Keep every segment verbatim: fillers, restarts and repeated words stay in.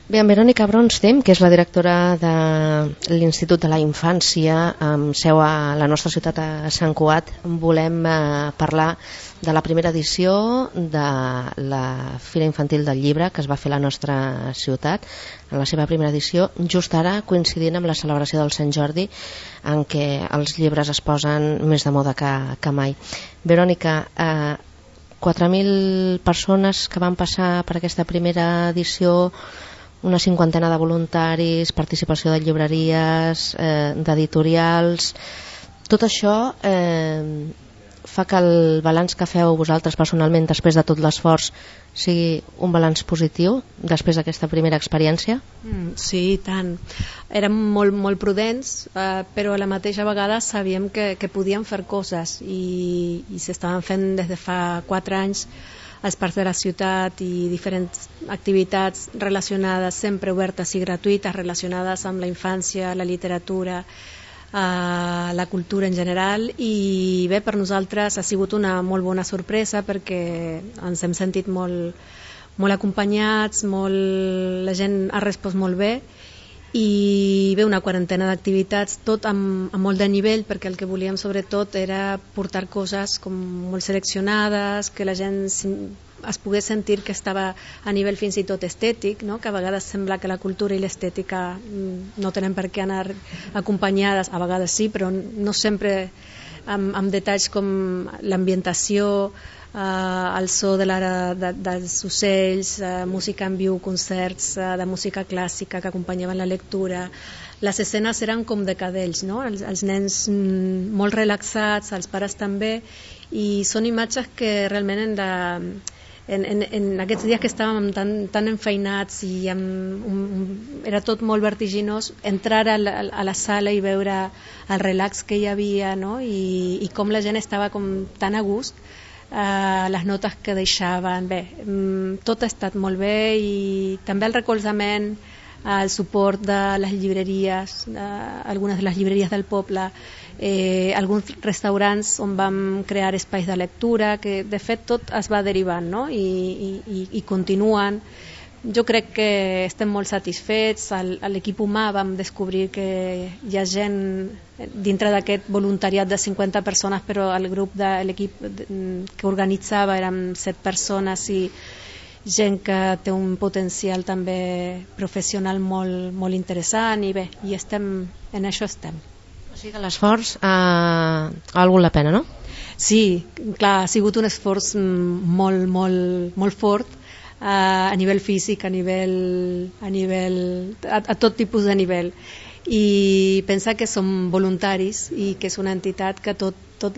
Bé, en Verònica Bronstem, que és la directora de l'Institut de la Infància, amb seu a la nostra ciutat a Sant Cugat, volem eh, parlar de la primera edició de la Fira Infantil del Llibre que es va fer a la nostra ciutat, en la seva primera edició, just ara coincidint amb la celebració del Sant Jordi, en què els llibres es posen més de moda que, que mai. Verònica, eh, quatre mil persones que van passar per aquesta primera edició, una cinquantena de voluntaris, participació de llibreries, eh, d'editorials. Tot això eh, fa que el balanç que feu vosaltres personalment després de tot l'esforç sigui un balanç positiu després d'aquesta primera experiència? Mm, sí, i tant. Érem molt, molt prudents, eh, però a la mateixa vegada sabíem que, que podíem fer coses i, i s'estaven fent des de fa quatre anys als parcs de la ciutat i diferents activitats relacionades, sempre obertes i gratuïtes, relacionades amb la infància, la literatura, eh, la cultura en general, i bé, per nosaltres ha sigut una molt bona sorpresa perquè ens hem sentit molt, molt acompanyats, molt, la gent ha respost molt bé, i bé, una quarantena d'activitats, tot amb, amb molt de nivell, perquè el que volíem sobretot era portar coses com molt seleccionades, que la gent es pogués sentir que estava a nivell fins i tot estètic, no? Que a vegades sembla que la cultura i l'estètica no tenen per què anar acompanyades, a vegades sí, però no sempre amb, amb detalls com l'ambientació, Uh, el so de la, de, dels ocells, uh, música en viu, concerts uh, de música clàssica que acompanyaven la lectura. Les escenes eren com de cadells, no? els, els nens mm, molt relaxats, els pares també, i són imatges que realment hem de, en, en, en aquests dies que estàvem tan, tan enfeinats i amb un, un, era tot molt vertiginós, entrar a la, a la sala i veure el relax que hi havia, no? I, i com la gent estava com tan a gust. Uh, les notes que deixaven, bé, um, tot ha estat molt bé, i també el recolzament, uh, el suport de les llibreries, uh, algunes de les llibreries del poble, eh, alguns restaurants on vam crear espais de lectura, que de fet tot es va derivant, no? I, i, i continuen. Jo crec que estem molt satisfets. A l'equip humà vam descobrir que hi ha gent dintre d'aquest voluntariat de cinquanta persones, però el grup de l'equip que organitzava eren set persones, i gent que té un potencial també professional molt, molt interessant, i bé, i estem, en això estem. O sigui que l'esforç ha, ha valgut la pena, no? Sí, clar, ha sigut un esforç molt, molt, molt fort, a nivell físic, a nivell, a, nivell a, a tot tipus de nivell, i pensar que som voluntaris i que és una entitat que tot, tot,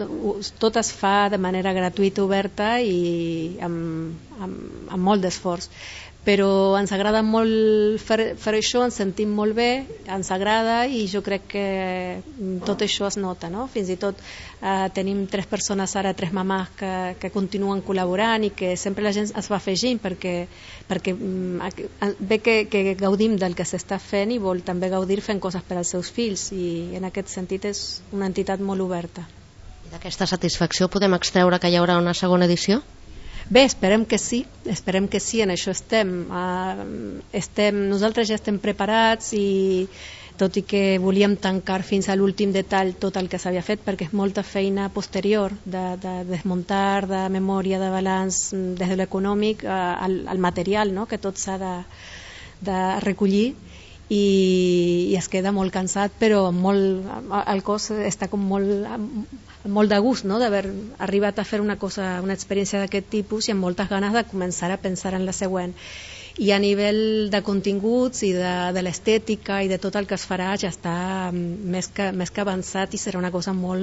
tot es fa de manera gratuïta, oberta i amb, amb, amb molt d'esforç, però ens agrada molt fer, fer això, ens sentim molt bé, ens agrada, i jo crec que tot això es nota, no? Fins i tot eh, tenim tres persones ara, tres mamàs que, que continuen col·laborant, i que sempre la gent es va afegint perquè, perquè ve que, que gaudim del que s'està fent i vol també gaudir fent coses per als seus fills, i en aquest sentit és una entitat molt oberta. I d'aquesta satisfacció podem extreure que hi haurà una segona edició? Bé, esperem que sí, esperem que sí, en això estem. Uh, estem nosaltres ja estem preparats, i tot i que volíem tancar fins a l'últim detall tot el que s'havia fet, perquè és molta feina posterior de, de desmuntar, de memòria, de balanç, des de l'econòmic uh, al, al material, no? Que tot s'ha de, de recollir, i, i es queda molt cansat, però molt, el cos està com molt, molt de gust, no? D'haver arribat a fer una cosa, una experiència d'aquest tipus, i amb moltes ganes de començar a pensar en la següent. I a nivell de continguts i de, de l'estètica i de tot el que es farà, ja està més que, més que avançat, i serà una cosa molt,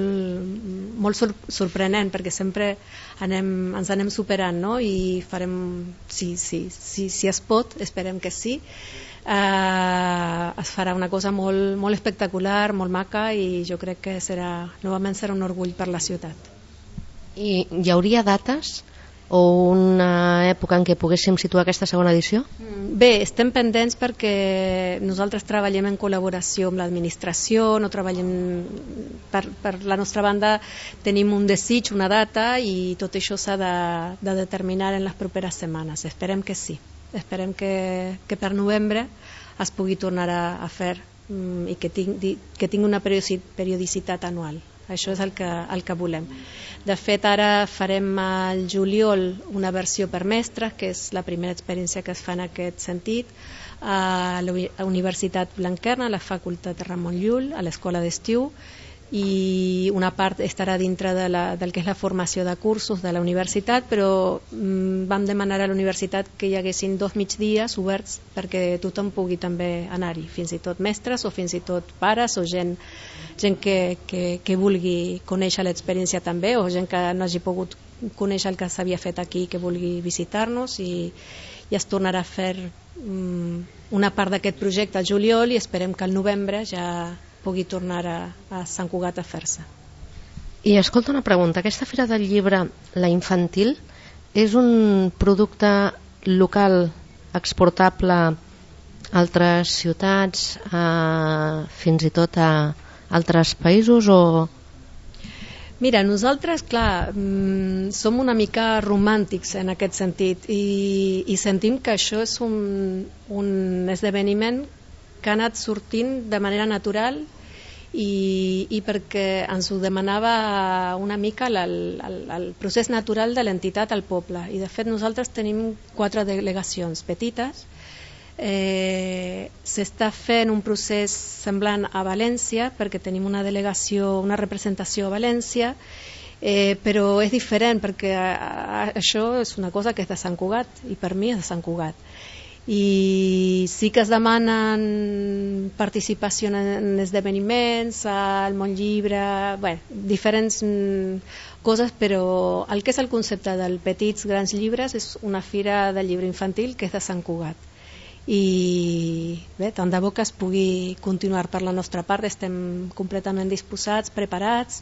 molt sorprenent, perquè sempre anem, ens anem superant, no? I farem, sí, sí, sí, si es pot, esperem que sí, Uh, es farà una cosa molt, molt espectacular, molt maca, i jo crec que serà, novament serà un orgull per la ciutat. I hi hauria dates o una època en què poguéssim situar aquesta segona edició? Bé, estem pendents perquè nosaltres treballem en col·laboració amb l'administració, no treballem per, per la nostra banda, tenim un desig, una data, i tot això s'ha de, de determinar en les properes setmanes. Esperem que sí. esperem que, que per novembre es pugui tornar a, a fer um, i que tingui, que tingui una periodicitat anual. Això és el que, el que volem. De fet, ara farem al juliol una versió per mestres, que és la primera experiència que es fa en aquest sentit, a la Universitat Blanquerna, a la Facultat Ramon Llull, a l'Escola d'Estiu, i una part estarà dintre de la, del que és la formació de cursos de la universitat, però mm, vam demanar a la universitat que hi haguessin dos migdies oberts perquè tothom pugui també anar-hi, fins i tot mestres o fins i tot pares o gent, gent que, que, que vulgui conèixer l'experiència també, o gent que no hagi pogut conèixer el que s'havia fet aquí, que vulgui visitar-nos, i, i es tornarà a fer mm, una part d'aquest projecte al juliol, i esperem que al novembre ja pugui tornar a, a Sant Cugat a fer-se. I escolta una pregunta, aquesta Fira del Llibre, la infantil, és un producte local exportable a altres ciutats, a, fins i tot a altres països, o...? Mira, nosaltres, clar, mmm, som una mica romàntics en aquest sentit, i, i sentim que això és un, un esdeveniment que ha anat sortint de manera natural, i, i perquè ens ho demanava una mica el, el, el procés natural de l'entitat al poble. I de fet nosaltres tenim quatre delegacions petites. Eh, s'està fent un procés semblant a València, perquè tenim una delegació, una representació a València, eh, però és diferent perquè a, a, això és una cosa que és de Sant Cugat, i per mi és de Sant Cugat. I sí que es demanen participació en esdeveniments, al món llibre, bé, diferents coses, però el que és el concepte del Petits Grans Llibres és una fira de llibre infantil que és de Sant Cugat. I bé, tant de bo que es pugui continuar per la nostra part, estem completament disposats, preparats.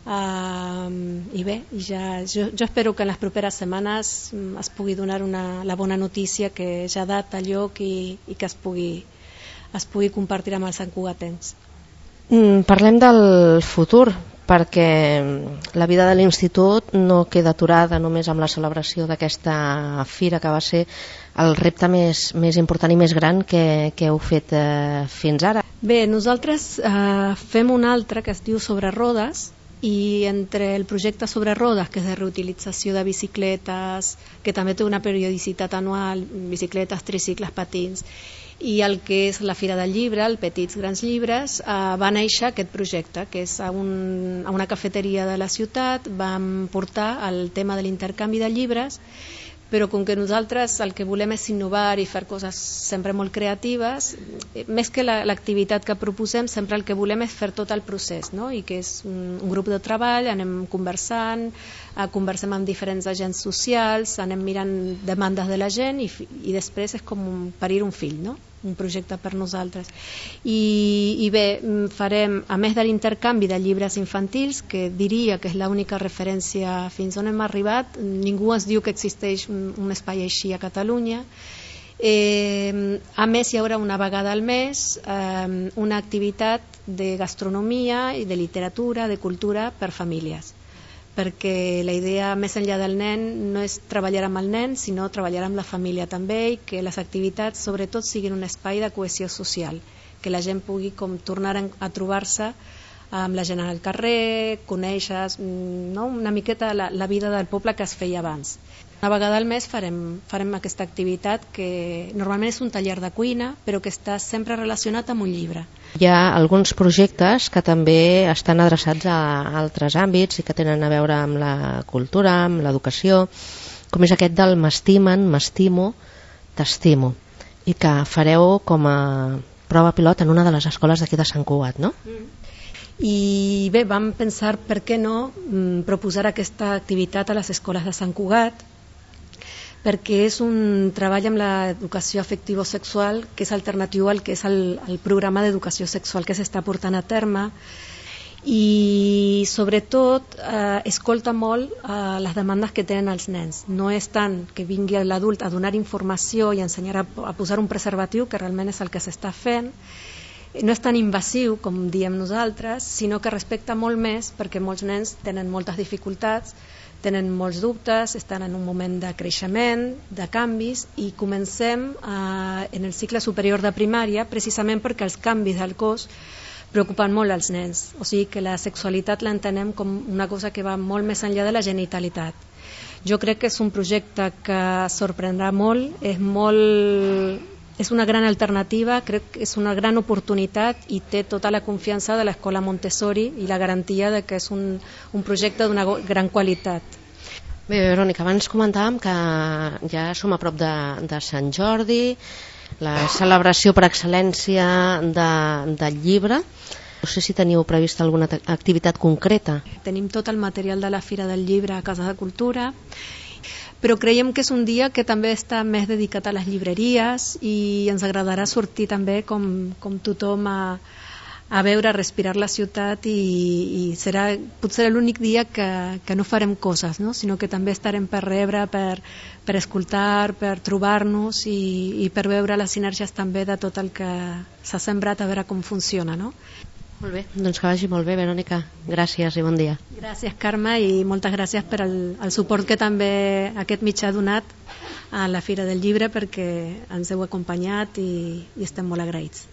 Uh, i bé, ja, jo, jo espero que en les properes setmanes um, es pugui donar una, la bona notícia que ja ha data lloc, i, i que es pugui, es pugui compartir amb els santcugatens. Mm, parlem del futur, perquè la vida de l'institut no queda aturada només amb la celebració d'aquesta fira, que va ser el repte més, més important i més gran que, que heu fet eh, fins ara. Bé, nosaltres eh, fem un altre que es diu Sobre Rodes, i entre el projecte Sobre Rodes, que és de reutilització de bicicletes, que també té una periodicitat anual, bicicletes, tricicles, patins, i el que és la Fira del Llibre, el Petits Grans Llibres, eh, va néixer aquest projecte, que és a, un, a una cafeteria de la ciutat. Vam portar el tema de l'intercanvi de llibres, però com que nosaltres el que volem és innovar i fer coses sempre molt creatives, més que l'activitat que proposem, sempre el que volem és fer tot el procés, no? I que és un, un grup de treball, anem conversant, eh, conversem amb diferents agents socials, anem mirant demandes de la gent, i, i després és com un, parir un fill, no? Un projecte per nosaltres. I, i bé, farem, a més de l'intercanvi de llibres infantils, que diria que és l'única referència fins on hem arribat, ningú ens diu que existeix un, un espai així a Catalunya. Eh, a més, hi haurà una vegada al mes eh, una activitat de gastronomia i de literatura, de cultura per famílies, perquè la idea més enllà del nen no és treballar amb el nen, sinó treballar amb la família també, i que les activitats sobretot siguin un espai de cohesió social, que la gent pugui com tornar a trobar-se amb la gent al carrer, conèixer, no? Una miqueta la, la vida del poble que es feia abans. Una vegada al mes farem, farem aquesta activitat, que normalment és un taller de cuina, però que està sempre relacionat amb un llibre. Hi ha alguns projectes que també estan adreçats a altres àmbits i que tenen a veure amb la cultura, amb l'educació, com és aquest del M'estimen, m'estimo, t'estimo, i que fareu com a prova pilot en una de les escoles d'aquí de Sant Cugat, no? Mm. I bé, vam pensar per què no proposar aquesta activitat a les escoles de Sant Cugat, perquè és un treball amb l'educació afectivo-sexual que és alternatiu al que és el, el programa d'educació sexual que s'està portant a terme, i sobretot eh, escolta molt eh, les demandes que tenen els nens. No és tant que vingui l'adult a donar informació i ensenyar a, a posar un preservatiu, que realment és el que s'està fent, no és tan invasiu com diem nosaltres, sinó que respecta molt més, perquè molts nens tenen moltes dificultats tenen molts dubtes, estan en un moment de creixement, de canvis, i comencem eh, en el cicle superior de primària precisament perquè els canvis del cos preocupen molt als nens, o sigui que la sexualitat l'entenem com una cosa que va molt més enllà de la genitalitat. Jo crec que és un projecte que sorprendrà molt, és molt... és una gran alternativa, crec que és una gran oportunitat i té tota la confiança de l'escola Montessori i la garantia de que és un, un projecte d'una gran qualitat. Bé, Verònica, abans comentàvem que ja som a prop de, de Sant Jordi, la celebració per excel·lència de, del llibre. No sé si teniu prevista alguna activitat concreta. Tenim tot el material de la Fira del Llibre a Casa de Cultura, però creiem que és un dia que també està més dedicat a les llibreries i ens agradarà sortir també com, com tothom a, a veure, a respirar la ciutat i, i serà potser l'únic dia que, que no farem coses, no? Sinó que també estarem per rebre, per, per escoltar, per trobar-nos i, i per veure les sinergies també de tot el que s'ha sembrat, a veure com funciona, no? Molt bé, doncs que vagi molt bé, Verònica. Gràcies i bon dia. Gràcies, Carme, i moltes gràcies per el, el suport que també aquest mitjà ha donat a la Fira del Llibre, perquè ens heu acompanyat i, i estem molt agraïts.